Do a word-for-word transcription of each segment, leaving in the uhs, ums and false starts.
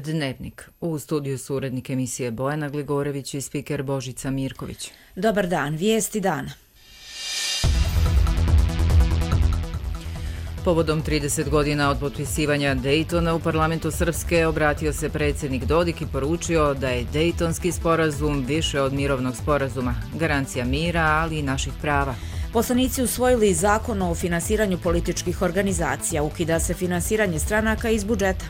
Dnevnik. U studiju su urednik emisije Bojana Gligorević i spiker Božica Mirković. Dobar dan, vijesti dana. Povodom trideset godina od potpisivanja Dejtona u parlamentu Srpske obratio se predsjednik Dodik i poručio da je Dejtonski sporazum više od mirovnog sporazuma, garancija mira, ali i naših prava. Poslanici usvojili zakon o finansiranju političkih organizacija, ukida se finansiranje stranaka iz budžeta.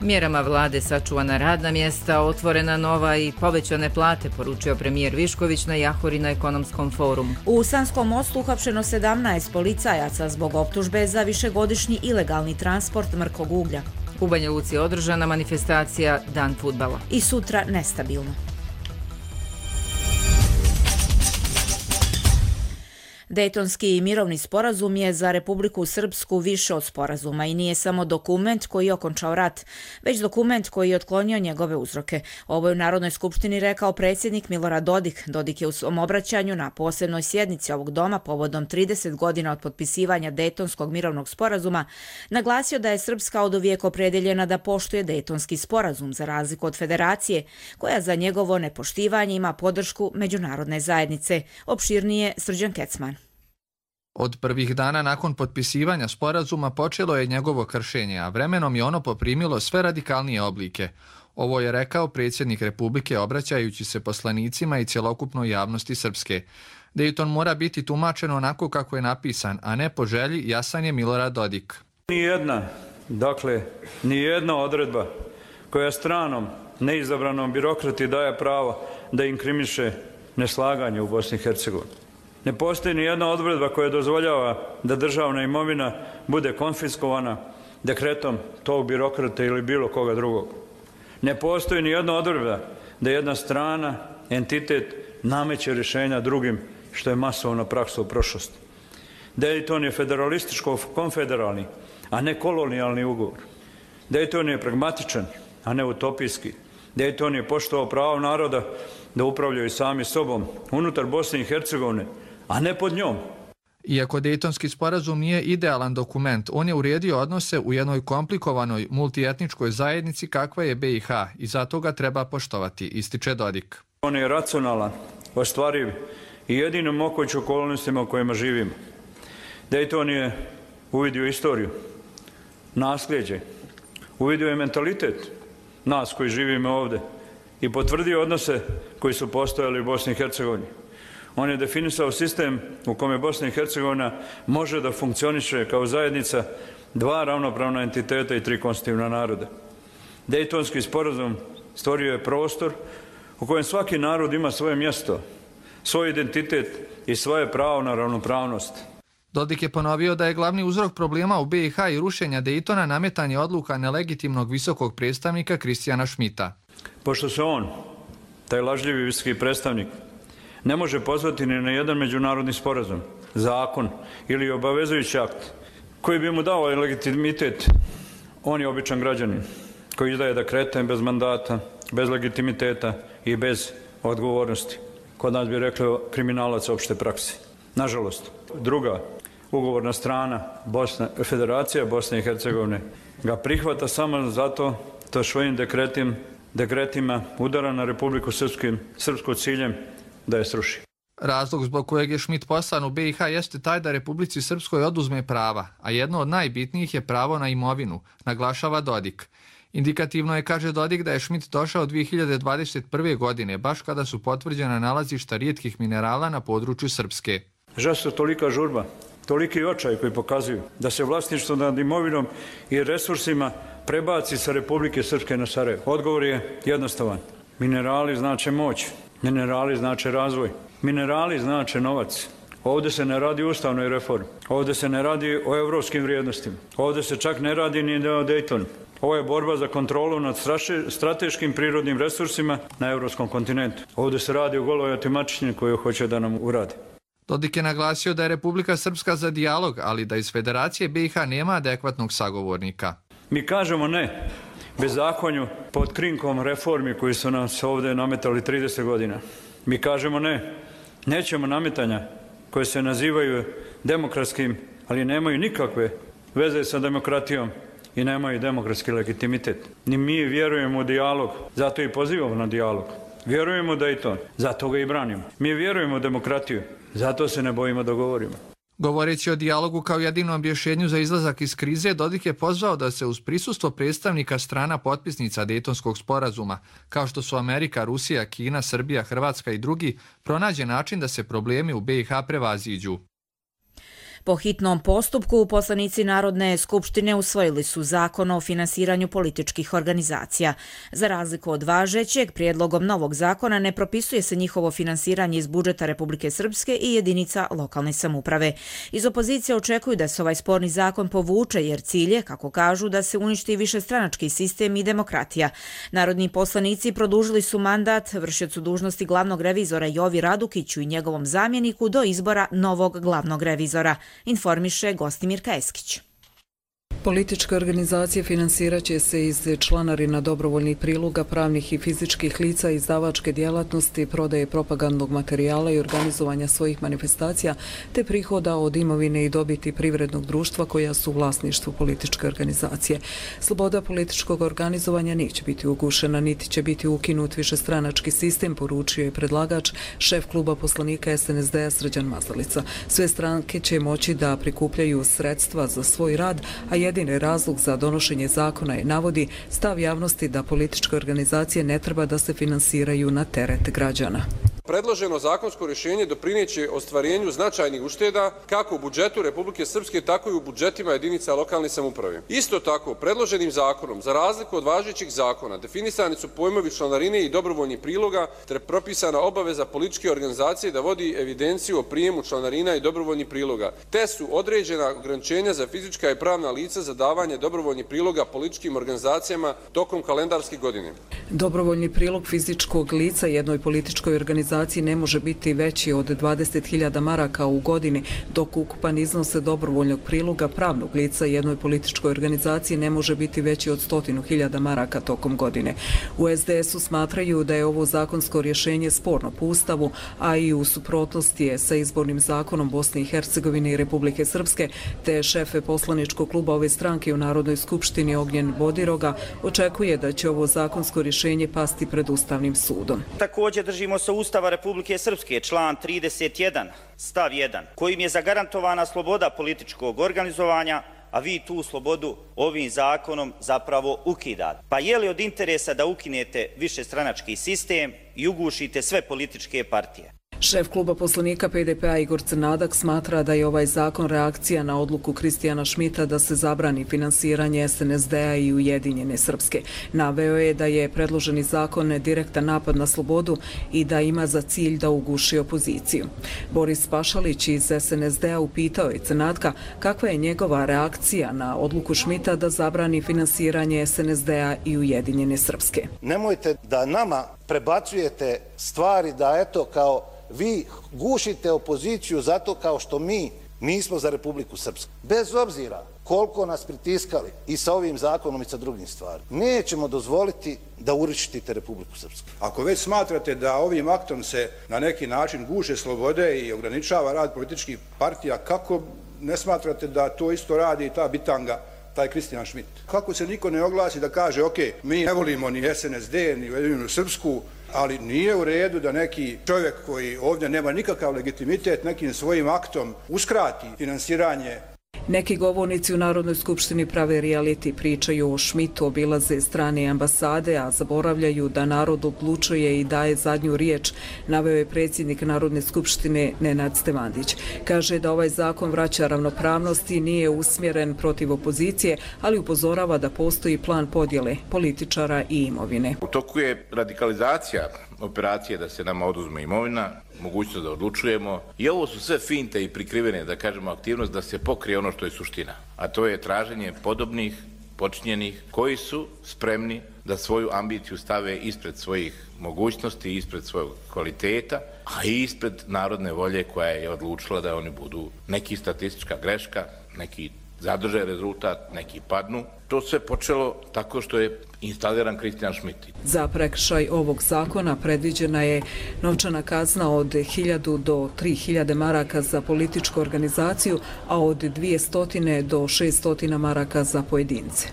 Mjerama vlade sačuvana radna mjesta, otvorena nova i povećane plate, poručio premijer Višković na Jahori na ekonomskom forumu. U Sanskom Mostu uhapšeno sedamnaest policajaca zbog optužbe za višegodišnji ilegalni transport mrkog uglja. U Banja Luci je održana manifestacija Dan fudbala. I sutra nestabilno. Dejtonski mirovni sporazum je za Republiku Srpsku više od sporazuma i nije samo dokument koji je okončao rat, već dokument koji je otklonio njegove uzroke. Ovo je u Narodnoj skupštini rekao predsjednik Milorad Dodik. Dodik je u svom obraćanju na posebnoj sjednici ovog doma povodom trideset godina od potpisivanja Dejtonskog mirovnog sporazuma naglasio da je Srpska oduvijek opredeljena da poštuje Dejtonski sporazum za razliku od Federacije, koja za njegovo nepoštivanje ima podršku međunarodne zajednice. Opširnije Srđan Kecman. Od prvih dana nakon potpisivanja sporazuma počelo je njegovo kršenje, a vremenom je ono poprimilo sve radikalnije oblike. Ovo je rekao predsjednik Republike obraćajući se poslanicima i cjelokupnoj javnosti Srpske. Dejton mora biti tumačen onako kako je napisan, a ne po želji, jasan je Milorad Dodik. Nijedna, dakle, nijedna odredba koja stranom, neizabranom birokrati daje pravo da inkriminiše neslaganje u Bosni i Hercegovini. Ne postoji ni jedna odredba koja dozvoljava da državna imovina bude konfiskovana dekretom tog birokrata ili bilo koga drugog. Ne postoji ni jedna odredba da jedna strana, entitet, nameće rješenja drugim, što je masovna praksa u prošlosti. Dejton je federalističko-konfederalni, a ne kolonijalni ugovor. Dejton je pragmatičan, a ne utopijski. Dejton je poštovao pravo naroda da upravljaju sami sobom unutar Bosne i Hercegovine, a ne pod njom. Iako Dejtonski sporazum nije idealan dokument, on je uredio odnose u jednoj komplikovanoj multietničkoj zajednici kakva je be i ha i zato ga treba poštovati, ističe Dodik. On je racionalan, ostvariv i jedino moguć okolnostima u kojima živimo. Dejton je uvidio istoriju, nasljeđe, uvidio je mentalitet nas koji živimo ovdje i potvrdio odnose koji su postojali u Bosni i Hercegovini. On je definisao sistem u kome Bosna i Hercegovina može da funkcioniše kao zajednica dva ravnopravna entiteta i tri konstitutivna naroda. Dejtonski sporazum stvorio je prostor u kojem svaki narod ima svoje mjesto, svoj identitet i svoje pravo na ravnopravnost. Dodik je ponovio da je glavni uzrok problema u be i ha i rušenja Dejtona nametanje odluka nelegitimnog visokog predstavnika Kristijana Šmita. Pošto se on, taj lažljivi visoki predstavnik, ne može pozvati ni na jedan međunarodni sporazum, zakon ili obavezujući akt koji bi mu dao legitimitet, on je običan građanin koji izdaje dekrete bez mandata, bez legitimiteta i bez odgovornosti. Kod nas bi rekli kriminalac opšte prakse. Nažalost, druga ugovorna strana, Bosna, Federacija Bosne i Hercegovine, ga prihvata samo zato što svojim dekretim, dekretima udara na Republiku Srpskim, srpsku ciljem da je sruši. Razlog zbog kojeg je Šmit poslan u be i ha jeste taj da Republici Srpskoj oduzme prava, a jedno od najbitnijih je pravo na imovinu, naglašava Dodik. Indikativno je, kaže Dodik, da je Šmit došao dvije hiljade dvadeset prve. godine, baš kada su potvrđena nalazišta rijetkih minerala na području Srpske. Zašto tolika žurba, toliki očaj koji pokazuju da se vlasništvo nad imovinom i resursima prebaci sa Republike Srpske na Sarajevo? Odgovor je jednostavan. Minerali znače moć, minerali znače razvoj, minerali znače novac. Ovdje se ne radi o ustavnoj reformi, ovdje se ne radi o evropskim vrijednostima, ovdje se čak ne radi ni o Dejtonu. Ovo je borba za kontrolu nad strateškim prirodnim resursima na evropskom kontinentu. Ovdje se radi o goloj otimačini koju hoće da nam uradi. Dodik je naglasio da je Republika Srpska za dijalog, ali da iz Federacije be i ha nema adekvatnog sagovornika. Mi kažemo ne bezakonju pod krinkom reformi koji su nas ovdje nametali trideset godina. Mi kažemo ne, nećemo nametanja koje se nazivaju demokratskim, ali nemaju nikakve veze sa demokratijom i nemaju demokratski legitimitet. Ni mi vjerujemo u dijalog, zato i pozivamo na dijalog. Vjerujemo u Dayton, zato ga i branimo. Mi vjerujemo u demokratiju, zato se ne bojimo da govorimo. Govoreći o dijalogu kao jedinom rješenju za izlazak iz krize, Dodik je pozvao da se uz prisustvo predstavnika strana potpisnica Dejtonskog sporazuma, kao što su Amerika, Rusija, Kina, Srbija, Hrvatska i drugi, pronađe način da se problemi u be i ha prevaziđu. Po hitnom postupku, poslanici Narodne skupštine usvojili su zakon o finansiranju političkih organizacija. Za razliku od važećeg, prijedlogom novog zakona ne propisuje se njihovo finansiranje iz budžeta Republike Srpske i jedinica lokalne samouprave. Iz opozicije očekuju da se ovaj sporni zakon povuče, jer cilj je, kako kažu, da se uništi višestranački sistem i demokratija. Narodni poslanici produžili su mandat vršiocu dužnosti glavnog revizora Jovi Radukiću i njegovom zamjeniku do izbora novog glavnog revizora, informiše Gostimirka Eskić. Političke organizacije finansirat će se iz članarina, dobrovoljnih priloga, pravnih i fizičkih lica, izdavačke djelatnosti, prodaje propagandnog materijala i organizovanja svojih manifestacija, te prihoda od imovine i dobiti privrednog društva koja su u vlasništvu političke organizacije. Sloboda političkog organizovanja neće biti ugušena, niti će biti ukinut višestranački sistem, poručio je predlagač, šef kluba poslanika es en es de a Srđan Mazalica. Sve stranke će moći da prikupljaju sredstva za svoj rad, a jedini razlog za donošenje zakona je, navodi, stav javnosti da političke organizacije ne treba da se finansiraju na teret građana. Predloženo zakonsko rješenje doprineće ostvarenju značajnih ušteda kako u budžetu Republike Srpske, tako i u budžetima jedinica lokalne samouprave. Isto tako, predloženim zakonom, za razliku od važećih zakona, definisani su pojmovi članarine i dobrovoljnih priloga, te propisana obaveza političke organizacije da vodi evidenciju o prijemu članarina i dobrovoljnih priloga, te su određena ograničenja za fizička i pravna lica za davanje dobrovoljnih priloga političkim organizacijama tokom kalendarske godine. Dobrovoljni prilog fizičkog lica jednoj političkoj organizaciji ne može biti veći od dvadeset hiljada maraka u godini, dok ukupan iznos dobrovoljnog priloga pravnog lica jednoj političkoj organizaciji ne može biti veći od stotinu hiljada maraka tokom godine. U es de esu smatraju da je ovo zakonsko rješenje sporno po Ustavu, a i u suprotnosti je sa izbornim zakonom Bosne i Hercegovine i Republike Srpske, te šefe poslaničkog kluba ove stranke u Narodnoj skupštini Ognjen Bodiroga očekuje da će ovo zakonsko rješenje pasti pred Ustavnim sudom. Također držimo se Ustava Republike Srpske, član trideset jedan, stav jedan, kojim je zagarantovana sloboda političkog organizovanja, a vi tu slobodu ovim zakonom zapravo ukidate. Pa je li od interesa da ukinete višestranački sistem i ugušite sve političke partije? Šef kluba poslanika pe de pe a Igor Crnadak smatra da je ovaj zakon reakcija na odluku Kristijana Šmita da se zabrani finansiranje es en es de a i Ujedinjene Srpske. Naveo je da je predloženi zakon direktan napad na slobodu i da ima za cilj da uguši opoziciju. Boris Pašalić iz es en es de a upitao je Crnadka kakva je njegova reakcija na odluku Šmita da zabrani finansiranje es en es de a i Ujedinjene Srpske. Nemojte da nama prebacujete stvari da eto kao vi gušite opoziciju zato kao što mi nismo za Republiku Srpsku. Bez obzira koliko nas pritiskali i sa ovim zakonom i sa drugim stvarima, nećemo dozvoliti da urištite Republiku Srpsku. Ako već smatrate da ovim aktom se na neki način guše slobode i ograničava rad političkih partija, kako ne smatrate da to isto radi i ta bitanga, taj Kristijan Šmit? Kako se niko ne oglasi da kaže, ok, mi ne volimo ni es en es de, ni Ujedinjenu Srpsku, ali nije u redu da neki čovjek koji ovdje nema nikakav legitimitet nekim svojim aktom uskrati finansiranje. Neki govornici u Narodnoj skupštini prave reality, pričaju o Šmitu, obilaze strane ambasade, a zaboravljaju da narod odlučuje i daje zadnju riječ, naveo je predsjednik Narodne skupštine Nenad Stevandić. Kaže da ovaj zakon vraća ravnopravnost i nije usmjeren protiv opozicije, ali upozorava da postoji plan podjele političara i imovine. U toku je radikalizacija operacije da se nama oduzme imovina, mogućnost da odlučujemo, i ovo su sve finte i prikrivene, da kažemo, aktivnost da se pokrije ono što je suština, a to je traženje podobnih, počinjenih, koji su spremni da svoju ambiciju stave ispred svojih mogućnosti, ispred svojeg kvaliteta, a i ispred narodne volje koja je odlučila da oni budu neki statistička greška, neki zadrže rezultat, neki padnu. To sve počelo tako što je instaliran Kristijan Šmit. Za prekršaj ovog zakona predviđena je novčana kazna od hiljadu do tri hiljade maraka za političku organizaciju, a od dvije stotine do šest stotina maraka za pojedince.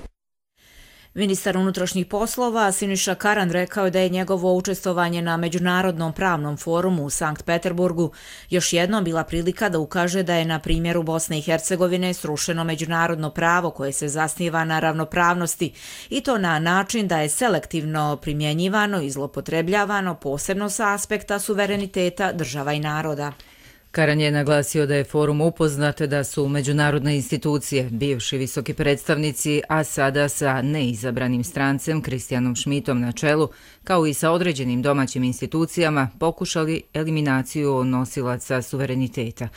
Ministar unutrašnjih poslova Siniša Karan rekao je da je njegovo učestvovanje na Međunarodnom pravnom forumu u Sankt Peterburgu još jednom bila prilika da ukaže da je na primjeru Bosne i Hercegovine srušeno međunarodno pravo koje se zasniva na ravnopravnosti i to na način da je selektivno primjenjivano i zlopotrebljavano posebno sa aspekta suvereniteta država i naroda. Karan je naglasio da je forum upoznat da su međunarodne institucije, bivši visoki predstavnici, a sada sa neizabranim strancem Kristijanom Šmitom na čelu, kao i sa određenim domaćim institucijama, pokušali eliminaciju nosilaca suvereniteta.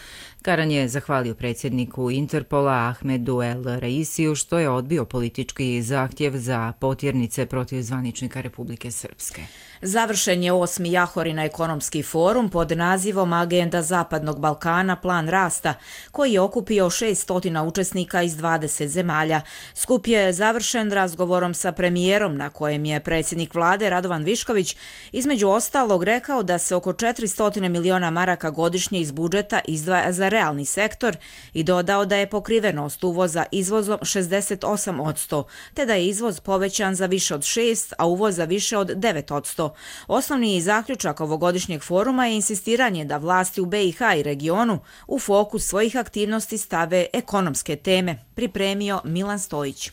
Karan je zahvalio predsjedniku Interpola Ahmedu El Raisiju što je odbio politički zahtjev za potjernice protiv zvaničnika Republike Srpske. Završen je osmi Jahorina ekonomski forum pod nazivom Agenda Zapadnog Balkana plan rasta, koji je okupio šest učesnika iz dvadeset zemalja. Skup je završen razgovorom sa premijerom na kojem je predsjednik vlade Radovan Višković između ostalog rekao da se oko četiristo miliona maraka godišnje iz budžeta izdvaja za realni sektor i dodao da je pokrivenost uvoza izvozom šezdeset osam posto, te da je izvoz povećan za više od šest, a uvoz za više od devet posto. Osnovni zaključak ovogodišnjeg foruma je insistiranje da vlasti u B i H i regionu u fokus svojih aktivnosti stave ekonomske teme, pripremio Milan Stojić.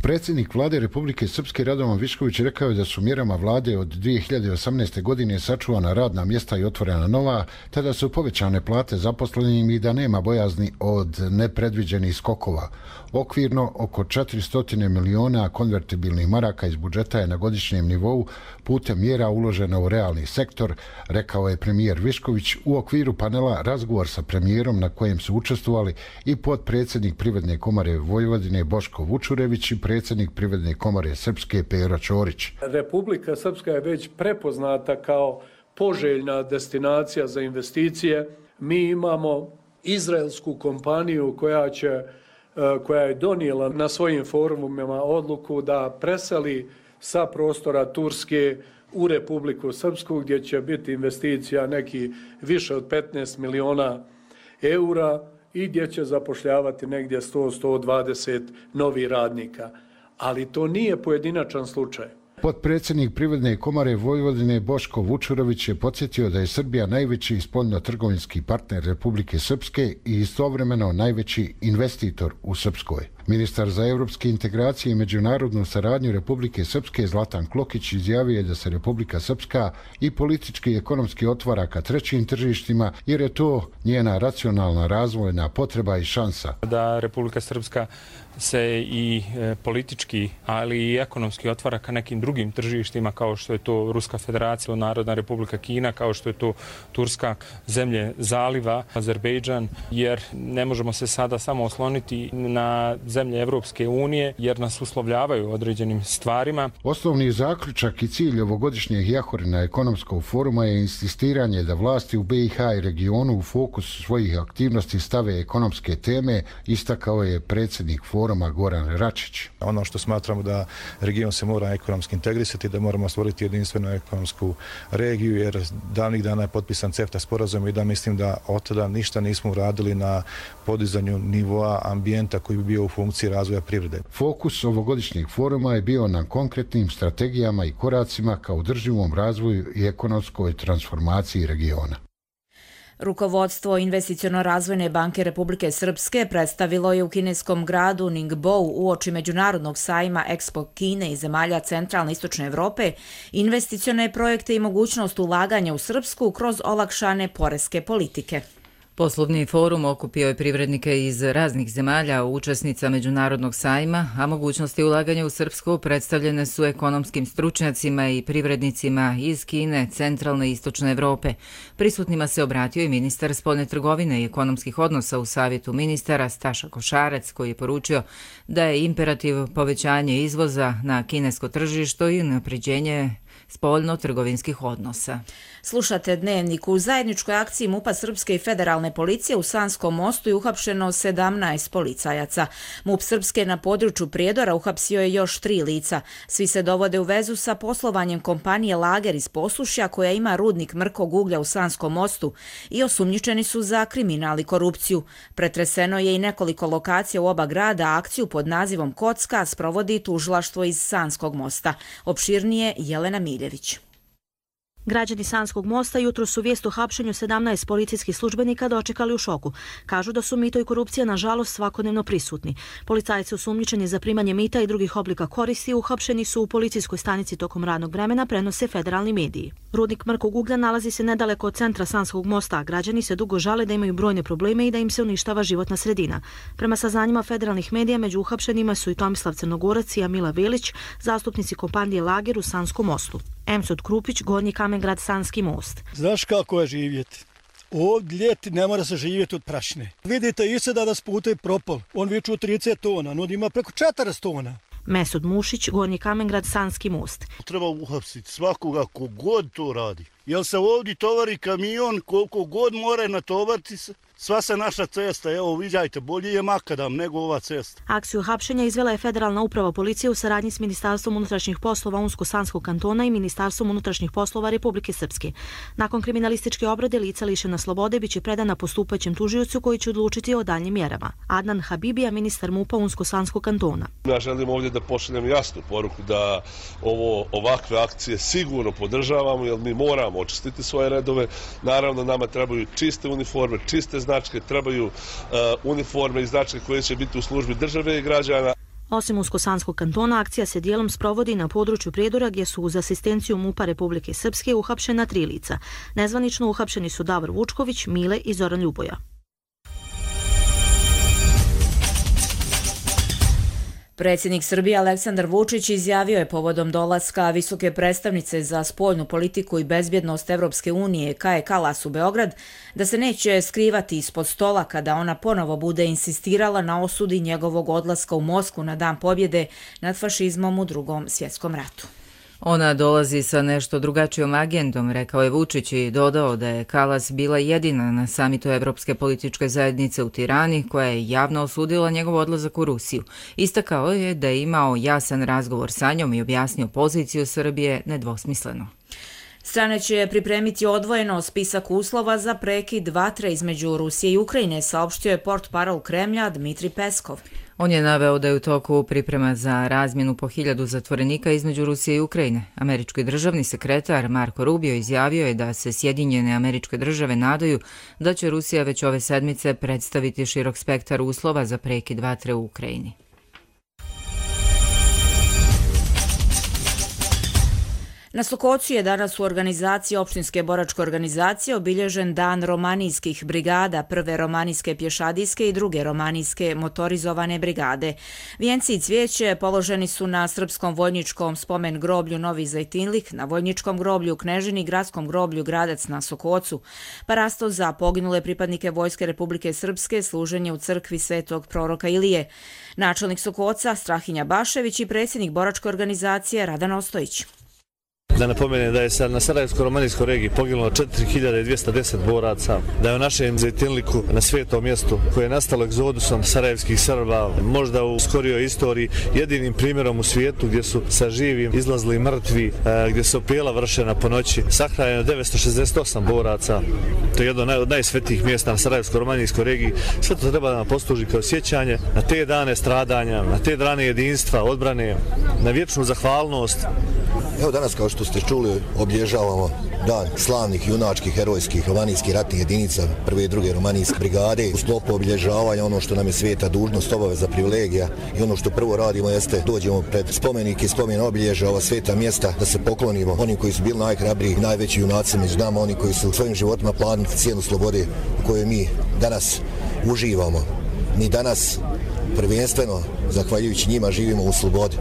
Predsjednik vlade Republike Srpske Radovan Višković rekao je da su mjerama vlade od dvije hiljade osamnaeste. godine sačuvana radna mjesta i otvorena nova, te da su povećane plate zaposlenim i da nema bojazni od nepredviđenih skokova. Okvirno oko četiristo miliona konvertibilnih maraka iz budžeta je na godišnjem nivou putem mjera uložena u realni sektor, rekao je premijer Višković u okviru panela razgovor sa premijerom na kojem su učestvovali i potpredsjednik Privredne komore Vojvodine Boško Vučurević i predsjednik Privredne komore Srpske Pero Ćorić. Republika Srpska je već prepoznata kao poželjna destinacija za investicije. Mi imamo izraelsku kompaniju koja će koja je donijela na svojim forumima odluku da preseli sa prostora Turske u Republiku Srpsku, gdje će biti investicija neki više od petnaest miliona eura i gdje će zapošljavati negdje sto do sto dvadeset novih radnika. Ali to nije pojedinačan slučaj. Potpredsjednik Privredne komore Vojvodine Boško Vučurović je podsjetio da je Srbija najveći spoljno-trgovinski partner Republike Srpske i istovremeno najveći investitor u Srpskoj. Ministar za evropske integracije i međunarodnu saradnju Republike Srpske Zlatan Klokić izjavio je da se Republika Srpska i politički i ekonomski otvara ka trećim tržištima jer je to njena racionalna razvojna potreba i šansa. Da Republika Srpska se i politički, ali i ekonomski otvara ka nekim drugim tržištima kao što je to Ruska federacija, Narodna republika Kina, kao što je to Turska, zemlje zaliva, Azerbejdžan, jer ne možemo se sada samo osloniti na zemlje Evropske unije jer nas uslovljavaju određenim stvarima. Osnovni zaključak i cilj ovogodišnjeg Jahorina ekonomskog foruma je insistiranje da vlasti u B i H i regionu u fokus svojih aktivnosti stave ekonomske teme, istakao je predsjednik foruma Goran Račić. Ono što smatramo da region se mora ekonomski integrisati, da moramo stvoriti jedinstvenu ekonomsku regiju, jer davnih dana je potpisan CEFTA sporazum i da mislim da od tada ništa nismo uradili na podizanju nivoa ambijenta koji bi bio u funkciji razvoja privrede. Fokus ovogodišnjeg foruma je bio na konkretnim strategijama i koracima ka održivom razvoju i ekonomskoj transformaciji regiona. Rukovodstvo Investiciono-razvojne banke Republike Srpske predstavilo je u kineskom gradu Ningbo uoči međunarodnog sajma Expo Kine i zemalja centralne i istočne Evrope investicione projekte i mogućnost ulaganja u Srpsku kroz olakšane poreske politike. Poslovni forum okupio je privrednike iz raznih zemalja, učesnica međunarodnog sajma, a mogućnosti ulaganja u Srpsku predstavljene su ekonomskim stručnjacima i privrednicima iz Kine, centralne i istočne Evrope. Prisutnima se obratio i ministar spoljne trgovine i ekonomskih odnosa u savjetu ministara Staša Košarac, koji je poručio da je imperativ povećanje izvoza na kinesko tržište i unapređenje spoljno-trgovinskih odnosa. Slušate Dnevnik. U zajedničkoj akciji MUP-a Srpske i federalne policije u Sanskom Mostu je uhapšeno sedamnaest policajaca. MUP Srpske na području Prijedora uhapsio je još tri lica. Svi se dovode u vezu sa poslovanjem kompanije Lager iz Posušja koja ima rudnik mrkog uglja u Sanskom Mostu i osumnjičeni su za kriminal i korupciju. Pretreseno je i nekoliko lokacija u oba grada, a akciju pod nazivom Kocka sprovodi tužilaštvo iz Sanskog Mosta. Opširnije Jelena Miljević. Građani Sanskog Mosta jutro su vijest o hapšenju sedamnaest policijskih službenika dočekali u šoku. Kažu da su mito i korupcija nažalost svakodnevno prisutni. Policajci osumnjičeni za primanje mita i drugih oblika koristi uhapšeni su u policijskoj stanici tokom radnog vremena, prenose federalni mediji. Rudnik mrkog uglja nalazi se nedaleko od centra Sanskog Mosta, a građani se dugo žale da imaju brojne probleme i da im se uništava životna sredina. Prema saznanjima federalnih medija, među uhapšenima su i Tomislav Crnogorac i Amila Velić, zastupnici kompanije Lager u Sanskom Mostu. Emsot Krupić, Gornji Kamengrad, Sanski Most. Znaš kako je živjeti? Ovdje ljeti ne mora se živjeti od prašine. Vidite i se da nas puta i propal. On viču trideset tona, no ima preko četrdeset tona. Mesut Mušić, Gornji Kamengrad, Sanski Most. Treba uhapsiti svakoga kogod to radi. Jel se ovdje tovari kamion, koliko god more natovariti se, sva se naša cesta, evo viđajte, bolje je makadam nego ova cesta. Akciju hapšenja izvela je Federalna uprava policije u saradnji s Ministarstvom unutrašnjih poslova Unsko-Sanskog kantona i Ministarstvom unutrašnjih poslova Republike Srpske. Nakon kriminalističke obrade lica lišena slobode biće predana postupajućem tužiocu koji će odlučiti o daljnjim mjerama. Adnan Habibija, ministar MUP-a Unsko-Sanskog kantona. Ja želim ovdje da pošaljem jasnu poruku da ovo ovakve akcije sigurno podržavamo, jer mi moramo očistiti svoje redove. Naravno, nama trebaju čiste uniforme, čiste značke, trebaju uh, uniforme i značke koje će biti u službi države i građana. Osim Usko-Sanskog kantona, akcija se dijelom sprovodi na području Prijedora gdje su uz asistenciju MUP-a Republike Srpske uhapšena tri lica. Nezvanično uhapšeni su Davor Vučković, Mile i Zoran Ljuboja. Predsjednik Srbije Aleksandar Vučić izjavio je povodom dolaska visoke predstavnice za spoljnu politiku i bezbjednost Evropske unije Kaje Kalas u Beograd da se neće skrivati ispod stola kada ona ponovo bude insistirala na osudi njegovog odlaska u Moskvu na Dan pobjede nad fašizmom u Drugom svjetskom ratu. Ona dolazi sa nešto drugačijom agendom, rekao je Vučić i dodao da je Kalas bila jedina na samitu Evropske političke zajednice u Tirani koja je javno osudila njegov odlazak u Rusiju. Istakao je da je imao jasan razgovor sa njom i objasnio poziciju Srbije nedvosmisleno. Strane će pripremiti odvojeno spisak uslova za prekid vatre između Rusije i Ukrajine, saopštio je portparol Kremlja Dmitrij Peskov. On je naveo da je u toku priprema za razmjenu po hiljadu zatvorenika između Rusije i Ukrajine. Američki državni sekretar Marko Rubio izjavio je da se Sjedinjene Američke Države nadaju da će Rusija već ove sedmice predstaviti širok spektar uslova za prekid vatre u Ukrajini. Na Sokocu je danas u organizaciji Opštinske boračke organizacije obilježen Dan romanijskih brigada, prve romanijske pješadijske i druge romanijske motorizovane brigade. Vijenci i cvijeće položeni su na Srpskom vojničkom spomen groblju Novi Zajtinlik, na Vojničkom groblju u Knežini, Gradskom groblju Gradac na Sokocu. Parasto za poginule pripadnike Vojske Republike Srpske, služenje u crkvi Svetog proroka Ilije. Načelnik Sokoca Strahinja Bašević i predsjednik boračke organizacije Radan Ostojić. Da napomenem da je sad na Sarajevsko-romanijskoj regiji poginulo četiri hiljade dvjesto deset boraca, da je u našem Zajtinliku na svetom mjestu koje je nastalo egzodusom sarajevskih Srba, možda u skorijoj istoriji jedinim primjerom u svijetu gdje su sa živim izlazili mrtvi, gdje se opijela vršena po noći, sahranjeno devetsto šezdeset osam boraca. To je jedno od najsvetijih mjesta na Sarajevsko-romanijskoj regiji. Sve to treba da nam posluži kao sjećanje na te dane stradanja, na te dane jedinstva, odbrane, na vječnu zahvalnost. Evo danas, kao što ste čuli, obilježavamo dan slavnih, junačkih, herojskih romanijskih ratnih jedinica prve i druge romanijske brigade. U sklopu obilježavanja ono što nam je sveta dužnost, obaveza, privilegija i ono što prvo radimo jeste dođemo pred spomenike i spomen obilježja ova sveta mjesta da se poklonimo oni koji su bili najhrabriji, najveći junaci među nama, oni koji su svojim životima platili cijenu slobode u kojoj mi danas uživamo. Mi danas prvenstveno, zahvaljujući njima, živimo u slobodi.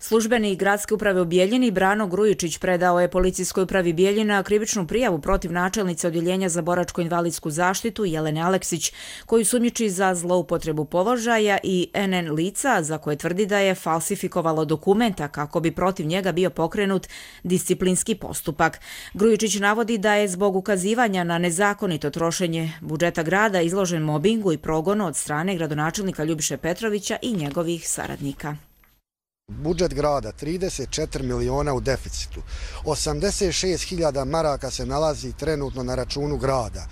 Službenik gradske uprave u Bijeljini Brano Grujičić predao je policijskoj upravi Bijeljina krivičnu prijavu protiv načelnice odjeljenja za boračko-invalidsku zaštitu Jelene Aleksić, koju sumnjiči za zloupotrebu položaja i N N lica za koje tvrdi da je falsifikovalo dokumenta kako bi protiv njega bio pokrenut disciplinski postupak. Grujičić navodi da je zbog ukazivanja na nezakonito trošenje budžeta grada izložen mobingu i progonu od strane gradonačelnika Ljubiše Petrovića i njegovih saradnika. Budžet grada trideset četiri miliona u deficitu, osamdeset šest hiljada maraka se nalazi trenutno na računu grada.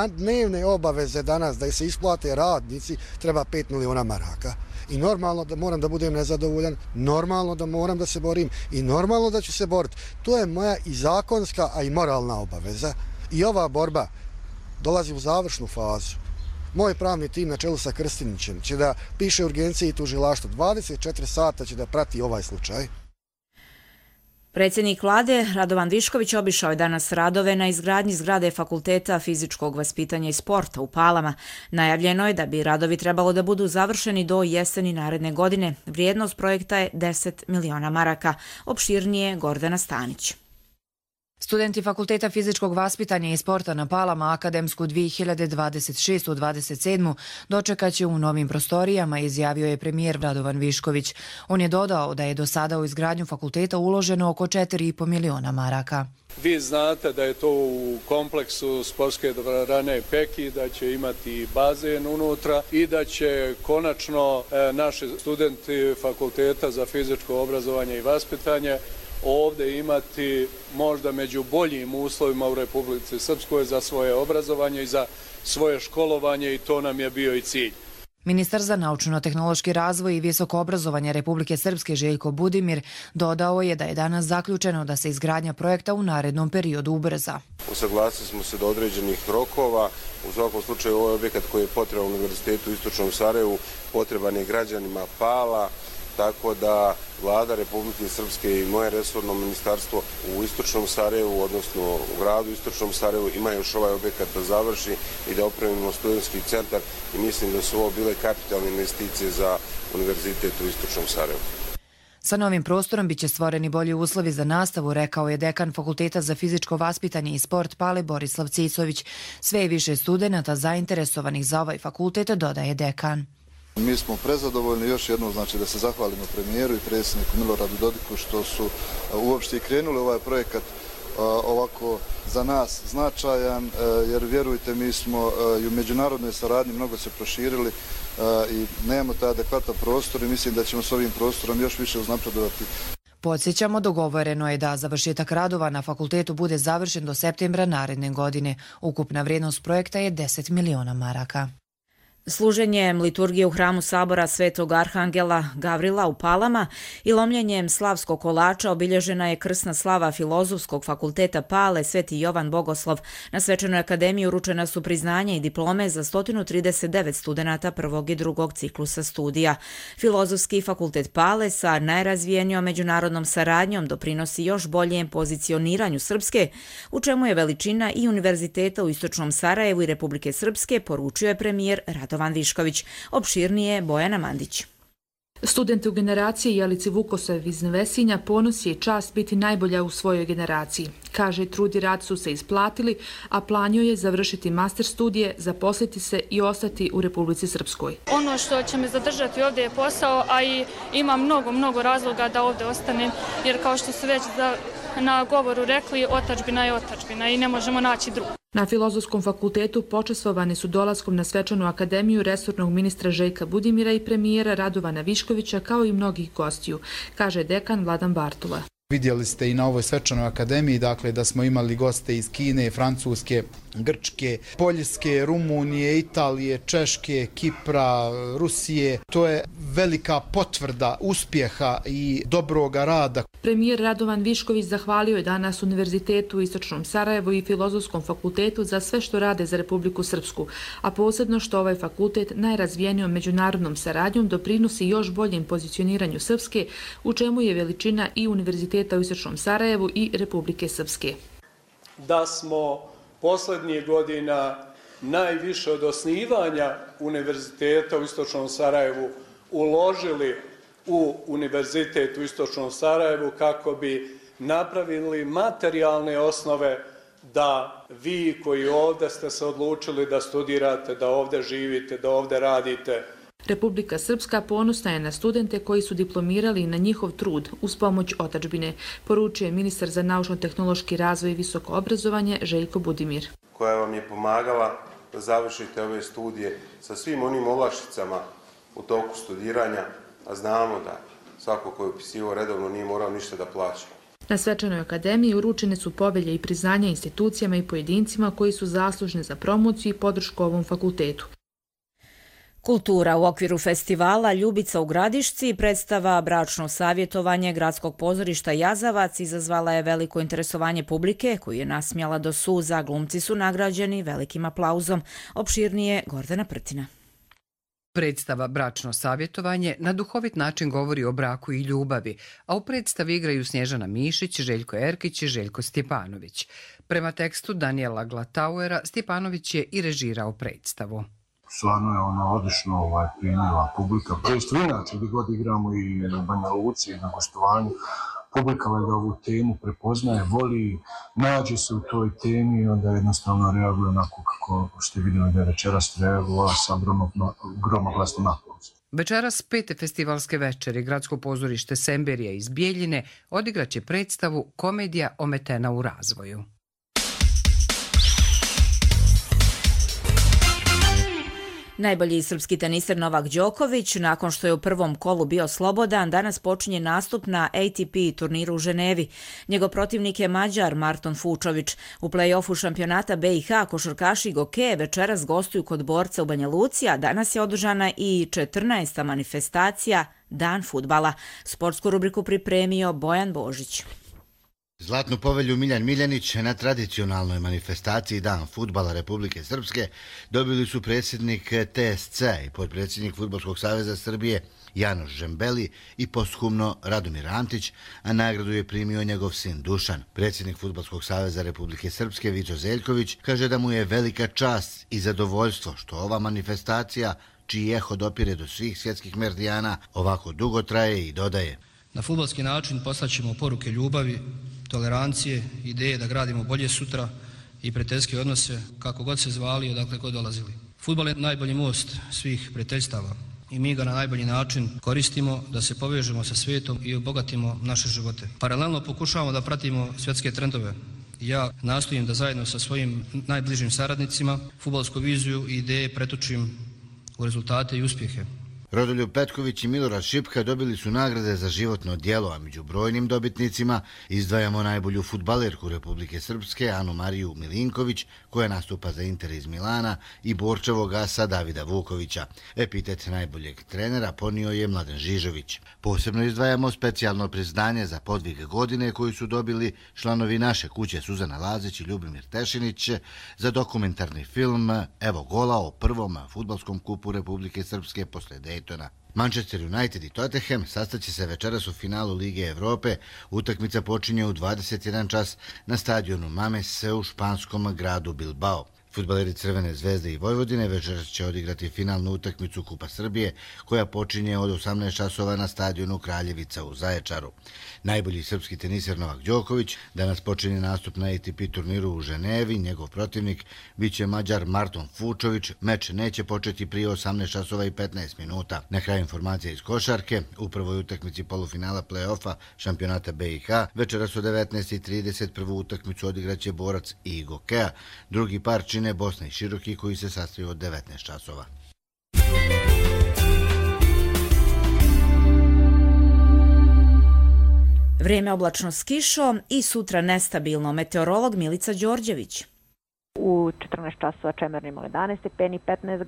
Dnevne obaveze danas da se isplate radnici treba pet miliona maraka. I normalno da moram da budem nezadovoljan, normalno da moram da se borim i normalno da ću se boriti. To je moja i zakonska, a i moralna obaveza. I ova borba dolazi u završnu fazu. Moj pravni tim na čelu sa Krstinićem će da piše urgencije i tužilaštvo. dvadeset četiri sata će da prati ovaj slučaj. Predsjednik vlade Radovan Višković obišao je danas radove na izgradnji zgrade Fakulteta fizičkog vaspitanja i sporta u Palama. Najavljeno je da bi radovi trebalo da budu završeni do jeseni naredne godine. Vrijednost projekta je deset miliona maraka. Opširnije Gordana Stanić. Studenti Fakulteta fizičkog vaspitanja i sporta na Palama akademsku dvije hiljade dvadeset šeste dvadeset sedme dočekat će u novim prostorijama, izjavio je premijer Radovan Višković. On je dodao da je do sada u izgradnju fakulteta uloženo oko četiri i po miliona maraka. Vi znate da je to u kompleksu sportske dvorane Peki, da će imati bazen unutra i da će konačno naši studenti Fakulteta za fizičko obrazovanje i vaspitanje ovdje imati možda među boljim uslovima u Republici Srpskoj za svoje obrazovanje i za svoje školovanje i to nam je bio i cilj. Ministar za naučno-tehnološki razvoj i visoko obrazovanje Republike Srpske Željko Budimir dodao je da je danas zaključeno da se izgradnja projekta u narednom periodu ubrza. Usaglasili smo se do određenih rokova. U svakom slučaju ovaj objekat koji je potreban Univerzitetu u Istočnom Sarajevu potreban je građanima Pala, tako da Vlada Republike Srpske i moje resorno ministarstvo u Istočnom Sarajevu, odnosno u gradu Istočnom Sarajevu, ima još ovaj objekat da završi i da opremimo studentski centar i mislim da su ovo bile kapitalne investicije za Univerzitet u Istočnom Sarajevu. Sa novim prostorom biće stvoreni bolji uslovi za nastavu, rekao je dekan Fakulteta za fizičko vaspitanje i sport Pale Borislav Cicović. Sve je više studenata zainteresovanih za ovaj fakultet, dodaje dekan. Mi smo prezadovoljni, još jednom znači da se zahvalimo premijeru i predsjedniku Miloradu Dodiku što su uopšte i krenuli ovaj projekat ovako za nas značajan, jer vjerujte mi smo i u međunarodnoj saradnji mnogo se proširili i nemamo taj adekvatan prostor i mislim da ćemo s ovim prostorom još više uznapredovati. Podsjećamo, dogovoreno je da završetak radova na fakultetu bude završen do septembra naredne godine. Ukupna vrijednost projekta je deset miliona maraka. Služenjem liturgije u hramu Sabora Svetog Arhangela Gavrila u Palama i lomljenjem slavskog kolača obilježena je krsna slava Filozofskog fakulteta Pale Sveti Jovan Bogoslov. Na Svečanoj akademiji uručena su priznanja i diplome za sto trideset devet studenata prvog i drugog ciklusa studija. Filozofski fakultet Pale sa najrazvijenijom međunarodnom saradnjom doprinosi još boljem pozicioniranju Srpske, u čemu je veličina i Univerziteta u Istočnom Sarajevu i Republike Srpske, poručio je premijer Radovan Višković. Opširnije Bojana Mandić. Studenti u generaciji Jelici Vukosev iz Nevesinja ponos je i čast biti najbolja u svojoj generaciji. Kaže, trud i rad su se isplatili, a planio je završiti master studije, zaposliti se i ostati u Republici Srpskoj. Ono što će me zadržati ovdje je posao, a i ima mnogo, mnogo razloga da ovdje ostanem, jer kao što su već na govoru rekli, otadžbina je otadžbina i ne možemo naći drugu. Na Filozofskom fakultetu počastvovani su dolaskom na Svečanu akademiju resornog ministra Željka Budimira i premijera Radovana Viškovića, kao i mnogih gostiju, kaže dekan Vladan Bartula. Vidjeli ste i na ovoj Svečanoj akademiji, dakle, da smo imali goste iz Kine, Francuske, Grčke, Poljske, Rumunije, Italije, Češke, Kipra, Rusije. To je velika potvrda uspjeha i dobroga rada. Premijer Radovan Višković zahvalio je danas Univerzitetu u Istočnom Sarajevu i Filozofskom fakultetu za sve što rade za Republiku Srpsku, a posebno što ovaj fakultet najrazvijenijom međunarodnom saradnjom doprinosi još boljem pozicioniranju Srpske, u čemu je veličina i Univerziteta u Istočnom Sarajevu i Republike Srpske. Da smo posljednjih godina najviše od osnivanja Univerziteta u Istočnom Sarajevu uložili u Univerzitet u Istočnom Sarajevu kako bi napravili materijalne osnove da vi koji ovdje ste se odlučili da studirate, da ovdje živite, da ovdje radite. Republika Srpska ponosna je na studente koji su diplomirali na njihov trud uz pomoć otadžbine, poručuje ministar za naučno-tehnološki razvoj i visoko obrazovanje Željko Budimir. Koja vam je pomagala da završite ove studije sa svim onim olakšicama u toku studiranja, a znamo da svako ko je upisivao redovno nije morao ništa da plaća. Na Svečanoj akademiji uručene su povelje i priznanja institucijama i pojedincima koji su zaslužni za promociju i podršku ovom fakultetu. Kultura u okviru festivala Ljubica u Gradišci, predstava Bračno savjetovanje Gradskog pozorišta Jazavac izazvala je veliko interesovanje publike koju je nasmijala do suza. Glumci su nagrađeni velikim aplauzom. Opširnije Gordana Prtina. Predstava Bračno savjetovanje na duhovit način govori o braku i ljubavi, a u predstavi igraju Snježana Mišić, Željko Erkić i Željko Stjepanović. Prema tekstu Daniela Glatauera, Stjepanović je i režirao predstavu. Stvarno je ona odlično ovaj, primila publika. Predstavu inače gdje god igramo i na Banja Luci, na gostovanju. Publika valjda ovu temu prepoznaje, voli, nađe se u toj temi i onda jednostavno reaguje onako kako ste vidjeli da je večeras reagovala sa gromoglasnim aplauzom. Večeras pete festivalske večeri Gradsko pozorište Semberija iz Bijeljine odigraće predstavu Komedija ometena u razvoju. Najbolji srpski teniser Novak Đoković, nakon što je u prvom kolu bio slobodan, danas počinje nastup na A T P turniru u Ženevi. Njegov protivnik je Mađar Marton Fučović. U play-offu šampionata B i H košarkaši Goke večeras gostuju kod borca u Banja Luci, a danas je održana i četrnaesta manifestacija Dan fudbala. Sportsku rubriku pripremio Bojan Božić. Zlatnu povelju Miljan Miljanić na tradicionalnoj manifestaciji Dan fudbala Republike Srpske dobili su predsjednik T S C i podpredsjednik Fudbalskog saveza Srbije Janoš Žembeli i posthumno Radomir Antić, a nagradu je primio njegov sin Dušan. Predsjednik Fudbalskog saveza Republike Srpske Vico Zeljković kaže da mu je velika čast i zadovoljstvo što ova manifestacija, čiji eho dopire do svih svjetskih meridijana, ovako dugo traje i dodaje. Na fudbalski način poslaćemo poruke ljubavi, tolerancije, ideje da gradimo bolje sutra i prijateljske odnose kako god se zvali i odakle god dolazili. Fudbal je najbolji most svih prijateljstava i mi ga na najbolji način koristimo da se povežemo sa svijetom i obogatimo naše živote. Paralelno pokušavamo da pratimo svjetske trendove. Ja nastojim da zajedno sa svojim najbližim saradnicima fudbalsku viziju i ideje pretočim u rezultate i uspjehe. Rodoljub Petković i Milorad Šipka dobili su nagrade za životno djelo, a među brojnim dobitnicima izdvajamo najbolju fudbalerku Republike Srpske Anu Mariju Milinković, koja nastupa za Inter iz Milana, i borčevog asa Davida Vukovića. Epitet najboljeg trenera ponio je Mladen Žižović. Posebno izdvajamo specijalno priznanje za podvig godine koju su dobili članovi naše kuće Suzana Lazić i Ljubimir Tešinić za dokumentarni film Evo gola o prvom fudbalskom kupu Republike Srpske posle Daytona. Manchester United i Tottenham sastaće se večeras u finalu Lige Evrope. Utakmica počinje u dvadeset jedan čas na stadionu Mames u španskom gradu Bilbao. Fudbaleri Crvene zvezde i Vojvodine večeras će odigrati finalnu utakmicu Kupa Srbije, koja počinje od osamnaest časova na stadionu Kraljevica u Zaječaru. Najbolji srpski teniser Novak Đoković danas počinje nastup na A T P turniru u Ženevi. Njegov protivnik biće Mađar Marton Fučović. Meč neće početi prije osamnaest časova i petnaest minuta. Na kraju informacija iz košarke. U prvoj utakmici polufinala play-offa šampionata B i H večeras u devetnaest i trideset prvu utakmicu odigraće Borac i Gokea. Drugi par čine Bosna i Široki, koji se sastaju od devetnaest časova. Vrijeme oblačno s kišom i sutra nestabilno. Meteorolog Milica Đorđević. U četrnaest časova Čemerno imalo jedanaest stepeni, petnaest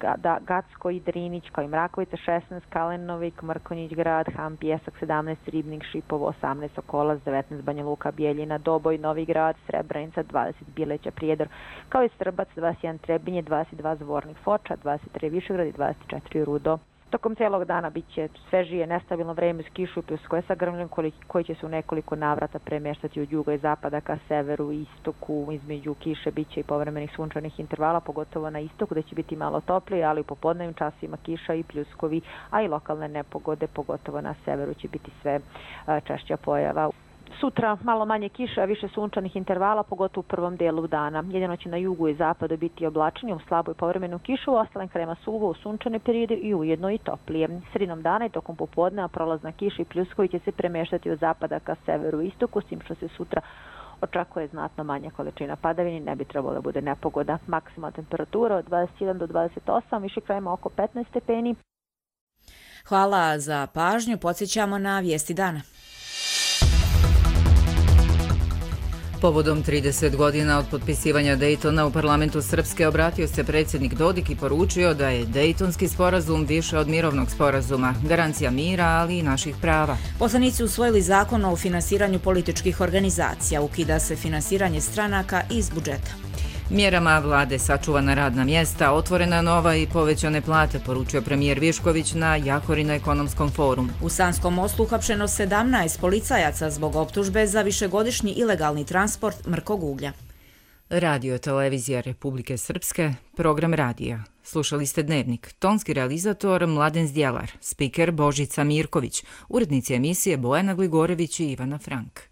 Gacko i Drinić, kao i Mrakovica šesnaest, Kalenovik, Mrkonjić grad, Ham, Pjesak sedamnaest, Ribnik, Šipovo osamnaest, Sokolac devetnaest, Banja Luka, Bijeljina, Doboj, Novi grad, Srebrenica dvadeset, Bileća, Prijedor, kao i Srbac dvadeset jedan, Trebinje dvadeset dva, Zvornik, Foča dvadeset tri, Višegrad i dvadeset četiri, Rudo. Tokom cijelog dana bit će svežije, nestabilno vreme s kišu i pljuskoje sa grmljom koji će se u nekoliko navrata premještati od juga i zapada ka severu i istoku. Između kiše bit će i povremenih sunčanih intervala, pogotovo na istoku gdje će biti malo toplije, ali u popodnevnim časima kiša i pljuskovi, a i lokalne nepogode, pogotovo na severu će biti sve češća pojava. Sutra malo manje kiše, a više sunčanih intervala, pogotovo u prvom dijelu dana. Jedino će na jugu i zapadu biti oblačenje u slabu i povremenu kišu, u ostalim krajevima suvo u sunčane periode i ujedno i toplije. Sredinom dana i tokom popodneva prolazna kiša i pljuskovi će se premještati od zapada ka severu i istoku, s tim što se sutra očekuje znatno manja količina padavini, ne bi trebalo da bude nepogoda. Maksimalna temperatura od dvadeset jedan do dvadeset osam, više krajevima oko petnaest stepeni. Hvala za pažnju, podsjećamo na vijesti dana. Povodom trideset godina od potpisivanja Dejtona u parlamentu Srpske obratio se predsjednik Dodik i poručio da je Dejtonski sporazum više od mirovnog sporazuma, garancija mira, ali i naših prava. Poslanici usvojili zakon o finansiranju političkih organizacija, ukida se finansiranje stranaka iz budžeta. Mjerama vlade sačuvana radna mjesta, otvorena nova i povećane plate, poručio premijer Višković na Jahorino ekonomskom forumu. U Sanskom Mostu uhapšeno sedamnaest policajaca zbog optužbe za višegodišnji ilegalni transport mrkog uglja. Radio televizija Republike Srpske, program radija. Slušali ste Dnevnik, tonski realizator Mladen Zdjelar, spiker Božica Mirković, urednici emisije Bojana Gligorević i Ivana Frank.